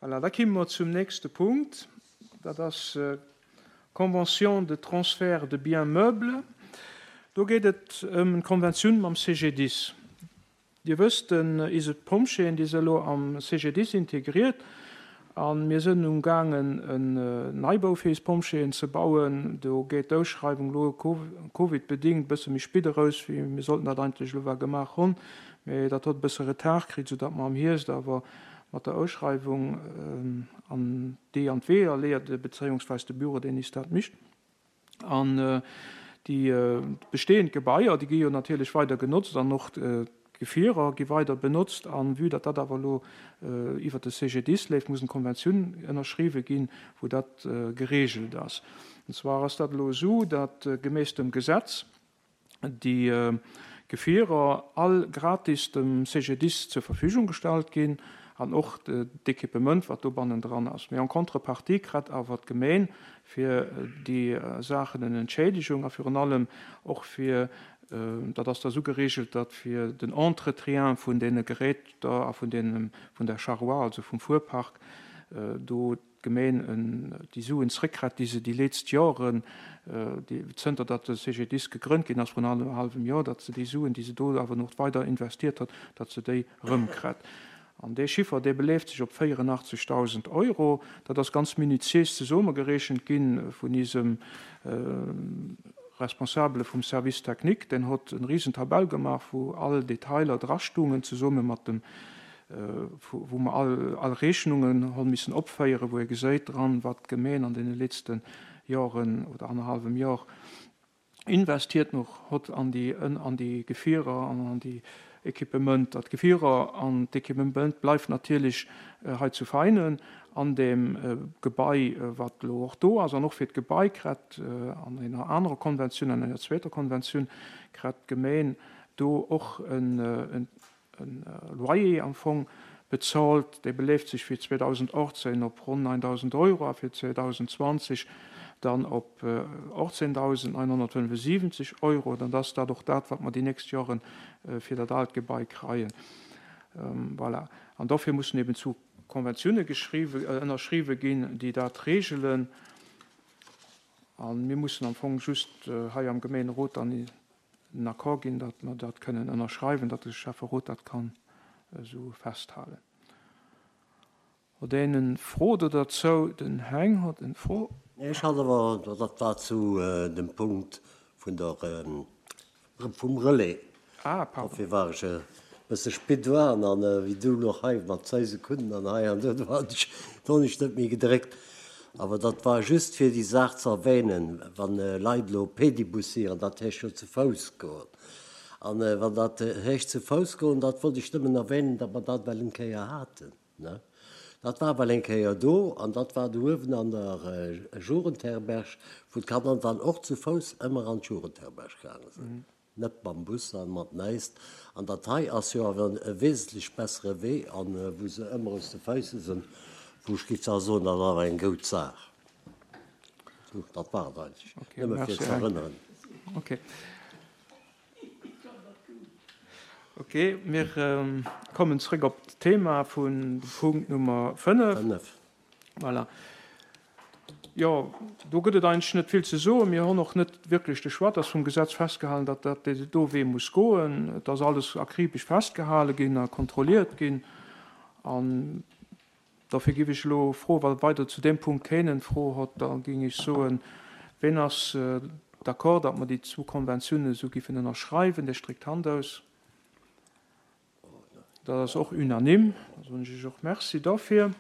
Voilà, da kimme mer zum nächste Punkt. Dat ass d'Convention de transfert de biens meubles. Do geet et ëm d'Konventioun mam CGDIS. Dir wësst, den ise Pompjeeën, déi si elo am CGDIS integriert a mir sënn umgaangen en Neibau fir is Pompjeeën ze bauen. Do geet d'Ausschreiwung elo Covid-bedingt e bësse méi spit eraus, wéi mir sollten dat eigentlech elo war gemaach hunn. Mee dat hott e bësse Retard kritt, soudatt mer am Hierscht awer mat der Ausschreiwung an déi an d'Weeër leeë, bezéiungsweis de Büro, deen is dat mischt. An déi bestehend Gebaier, déi gi jo natierlech weider genotzt an och d'Gefierer gi weider benotzt. A vue datt dat awer elo iwwert de CGDIS leeft, muss eng Konventioun ënnerschriwwe ginn, wou dat geregelt ass. An zwar ass dat elo esou, datt gemäss dem Gesetz, déi Gefierer all gratis dem CGDIS zur Verfügung gestallt ginn an och d'Equipement, wat do bannendran ass. Mee en contrepartie kritt awer d'Gemeen fir déi Saachen en Entschädigung a virun allem och fir, dat ass da sou geregelt, datt fir den Entretien vun deene Geräter a vun deenen, vun der Charroi, also vum Fuerpark, do d'Gemeen déi Suen zréckkritt, déi se déi leetzt Joren, zënter datt de CGDIS gegrënnt ginn ass, vrun annerhallwem Joer, datt se déi Suen, déi se do awer nach weider investiert huet, datt se déi erëmkritt. An dee Chiffer, dee beleeft sech op 84.000 Euro. Dat ass ganz minutiéis zesummegerechent gi vun isem Responsabele vum Service technique. Deen hott en risen Tabell gemaach, wou all Detailer drastungen, zesumme mat dem wou mer all all Rechnungen hu missen opféieren, wou ee geséit dran, wat d'Gemeen an deene letzte Joren oder annerhallwem Jor investiert noch hott an déi an déi Gefierer an an déi Equipementer. D'Gefierer an d'Equipement bleift natierlech hei zu Veinen an deem Gebai, wat elo och do ass. An och fir d'Gebai kret an enger anerer Konventioun, an enger zweeter Konventioun, kret d'Gemeen do och en e Loyer am Fong bezolt, dee beleeft sech fir 2018 op ronn 9.000 Euro a fir 2020 dann op 18.975 Euro. Dann ass dat och dat, wat mer déi nächst Jore fir dat aalt Gebai kreien. Voilà. An dofir mussen eben zu Konventioune ënnerschriwwe ginn, déi dat regelen. A mir mussen am Fong just hei am Gemeenerot dann en Accord ginn, datt mer dat kënnen ënnerschreiwen, datt de Schäfferot dat kann esou festhalen. Huet een en Fro do derzou? Den Heng huet en Fro. Ech hat awer, dat war zu dem Punkt vun der, vum Relais. Ah, pardon. Dofir war ech e bësse spit dran an wéi du elo hei mat zwou Sekunden an hei an do, do hat ech, do hunn ech net méi gedréckt. Awer dat war just fir déi Saach ze erwähnen, wann Leit elo Pedibussieren, dat heescht jo zu Fouss goen. An wann dat heescht zu Fouss goen, dat wollt ech nëmmen erwähnen, datt mer dat well eng Kéier haten, ne. Dat war well eng Kéier do an dat war do uewen an der Jugendherberg, wou d'Kanner dann och zu Fouss ëmmer an d'Jugendherberg gaange sinn. Net mam Bus an mat näisst. An dat hei ass jo awer e wesentlech bessere Wee an wou se ëmmer aus de Feisse sinn, wou ech giff da soen, dat ass awer eng goud Saach. Sou, dat war et eigentlech, nëmme fir ze erënneren. Ok. Ok, mir kommen zrëck op d'Thema vun Punkt Nummer 5. 5. Voilà. Jo, do gëtt et eigentlech net vill ze soen. Mir hunn och net wierklech de Choix. Et ass vum Gesetz festgehalen, datt dat dee do Wee muss goen. Et ass alles akribesch festgehale ginn a kontrolliert ginn. An dofir géif ech elo froen, wa weider zu deem Punkt keen eng Fro hott, da géing ech soen, Ween ass d'accord, datt mer déi zwou Konventiounen esou géifen ënnerschreiwen? Dee stréckt d'Hand aus. Dat ass och unanime. Da soen ech Iech och Merci dofir.